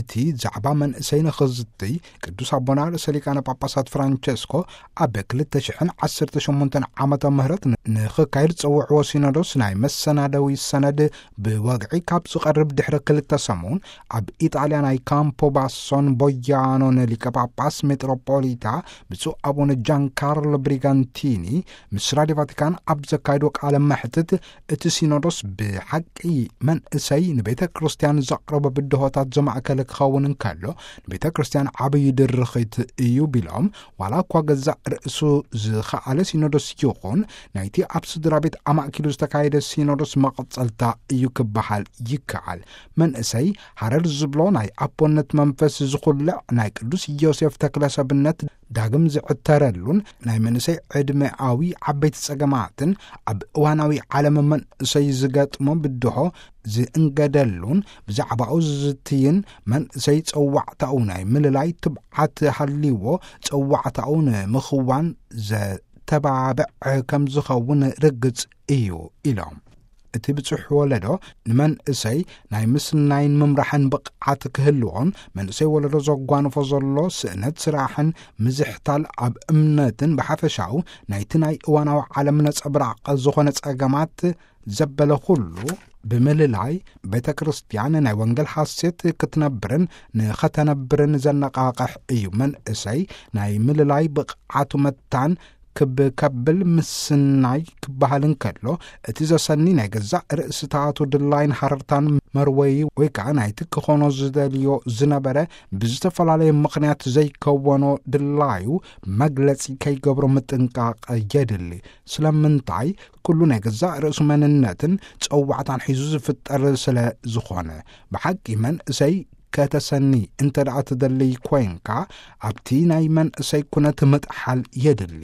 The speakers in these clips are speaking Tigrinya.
እቲ ዛዕባ መንእሰይ ንኽዝትይ ቅዱስ ኣቦና ርእሰ ሊቃነ ጳጳሳት ፍራንቸስኮ ኣብ ክልተ ሽሕን ዓሰርተ ሸሞንተን ዓመተ ምህረት ንኽካየድ ዝጸውዕዎ ሲኖዶስ ናይ መሰናደዊ ሰነድ ብወግዒ ካብ ዝቐርብ ድሕሪ ክልተ ሰሙን፣ ኣብ ኢጣልያ ናይ ካምፖ ባሶን ቦያኖን ሊቀ ጳጳስ ሜጥሮፖሊታ ብፁዕ ኣቡነ ጃን ካርሎ ብሪጋንቲኒ ምስ ራድዮ ቫቲካን ኣብ ዘካየዶ ቃለ መሕትት፣ እቲ ሲኖዶስ ብሓቂ መንእሰይ ንቤተ ክርስቲያን ዘቕረቦ ብድሆታት ዘማእከለ ክኸውን እንከሎ፣ ንቤተ ክርስቲያን ዓብዪ ድርኺት እዩ ቢሎም፣ ዋላ እኳ ገዛእ ርእሱ ዝኸኣለ ሲኖዶስ ይኹን፣ ናይቲ ኣብ ስድራ ቤት ኣማእኪሉ ዝተካየደ ሲኖዶስ መቐጸልታ እዩ ክበሃል ይከኣል። መንእሰይ ሃረር ዝብሎ ናይ ኣቦነት መንፈስ ዝኹልዕ ናይ ቅዱስ ዮሴፍ ተክለ ሰብነት ዳግም ዝዕተረሉን፣ ናይ መንእሰይ ዕድመኣዊ ዓበይቲ ጸገማትን ኣብ እዋናዊ ዓለም መንእሰይ ዝገጥሞ ብድሆ ዝእንገደሉን፣ ብዛዕባኡ ዝዝትይን፣ መንእሰይ ጸዋዕታኡ ናይ ምልላይ ትብዓት ሃልይዎ ጸዋዕታኡ ንምኽዋን ዘተባብዕ ከም ዝኸውን ርግጽ እዩ ኢሎም። እቲ ብጽሑ ወለዶ ንመንእሰይ ናይ ምስናይን ምምራሕን ብቕዓት ክህልዎን፣ መንእሰይ ወለዶ ዘጓንፎ ዘሎ ስእነት ስራሕን ምዝሕታል ኣብ እምነትን ብሓፈሻኡ ናይቲ ናይ እዋናዊ ዓለም ነጸብራቕ ዝኾነ ጸገማት ዘበለ ኩሉ ብምልላይ፣ ቤተ ክርስቲያን ናይ ወንጌል ሓሴት ክትነብርን ንኸተነብርን ዘነቓቕሕ እዩ። መንእሰይ ናይ ምልላይ ብቕዓቱ መታን ክብ ከብል ምስናይ ክበሃል እንከሎ፣ እቲ ዘሰኒ ናይ ገዛእ ርእስታቱ ድላይን ሃረርታን መርወዪ ወይ ከኣ ናይቲ ክኾኖ ዝደልዮ ዝነበረ ብዝተፈላለየ ምኽንያት ዘይከወኖ ድላዩ መግለጺ ከይገብሮ ምጥንቃቕ የድሊ። ስለምንታይ? ኩሉ ናይ ገዛእ ርእሱ መንነትን ጸዋዕታን ሒዙ ዝፍጠር ስለ ዝኾነ። ብሓቂ መንእሰይ ከተሰኒ እንተ ደኣ ትደልይ ኮይንካ፣ ኣብቲ ናይ መንእሰይ ኩነት ምጥሓል የድሊ።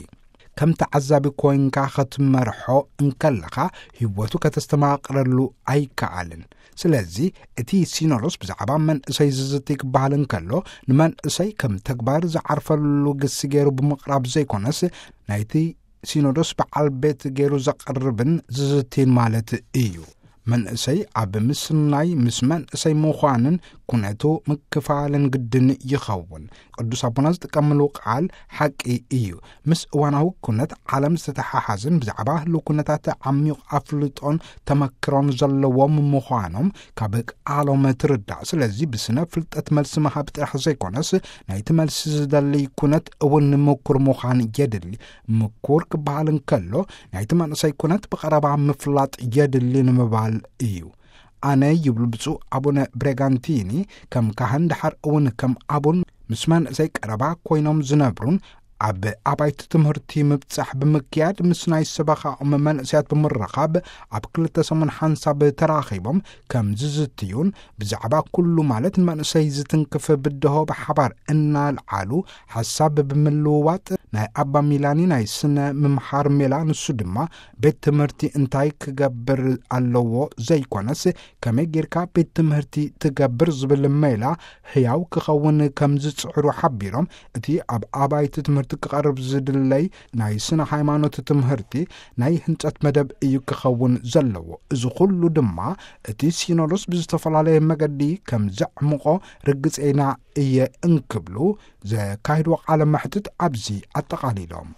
ከም ተዓዛቢ ኮይንካ ኸትመርሖ እንከለኻ፣ ህይወቱ ከተስተማቕረሉ ኣይከኣልን። ስለዚ፣ እቲ ሲኖዶስ ብዛዕባ መንእሰይ ዝዝቲ ክበሃል እንከሎ፣ ንመንእሰይ ከም ተግባር ዝዓርፈሉ ግሲ ገይሩ ብምቕራብ ዘይኮነስ፣ ናይቲ ሲኖዶስ በዓል ቤት ገይሩ ዘቕርብን ዝዝቲን ማለት እዩ። መንእሰይ ኣብ ምስናይ ምስ መንእሰይ ምዃንን ኩነቱ ምክፋልን ግድን ይኸውን። ቅዱስ ኣቦና ዝጥቀምሉ ቃል ሓቂ እዩ። ምስ እዋናዊ ኩነት ዓለም ዝተተሓሓዝን ብዛዕባ ህልው ኩነታት ዓሚቕ ኣፍልጦን ተመክሮን ዘለዎም ምዃኖም ካብ ቃሎም ትርዳእ። ስለዚ ብስነ ፍልጠት መልሲ ምሃብ ጥራሕ ዘይኮነስ ናይቲ መልሲ ዝደሊ ኩነት እውን ምኩር ምዃን የድሊ። ምኩር ክበሃል እንከሎ ናይቲ መንእሰይ ኩነት ብቐረባ ምፍላጥ የድሊ ንምባል እዩ። ኣነ ይብሉ ብፁዕ ኣቡነ ብሬጋንቲኒ፣ ከም ካህን ደሓር እውን ከም ኣቡን ምስ መንእሰይ ቀረባ ኮይኖም ዝነብሩን ኣብ ኣባይቲ ትምህርቲ ምብጻሕ ብምክያድ ምስ ናይ ሰበኻኦም መንእሰያት ብምርኻብ ኣብ ክልተ ሰሙን ሓንሳብ ተራኺቦም ከም ዝዝትዩን ብዛዕባ ኩሉ ማለት ንመንእሰይ ዝትንክፍ ብድሆ ብሓባር እናልዓሉ ሓሳብ ብምልውዋጥ ናይ ኣባ ሚላኒ ናይ ስነ ምምሓር ሜላ ንሱ ድማ ቤት ትምህርቲ እንታይ ክገብር ኣለዎ ዘይኮነስ ከመይ ጌርካ ቤት ትምህርቲ ትገብር ዝብል ሜላ ህያው ክኸውን ከም ዝጽዕሩ ሓቢሮም፣ እቲ ኣብ ኣባይቲ ትምህርቲ ክቐርብ ዝድለይ ናይ ስነ ሃይማኖት ትምህርቲ ናይ ህንጸት መደብ እዩ ክኸውን ዘለዎ። እዚ ኩሉ ድማ እቲ ሲኖዶስ ብዝተፈላለየ መገዲ ከም ዘዕምቖ ርግጸይና እየ እንክብሉ ዘካይድዎ ቃለ መሕትት ኣብዚ ኣጠቓሊሎም።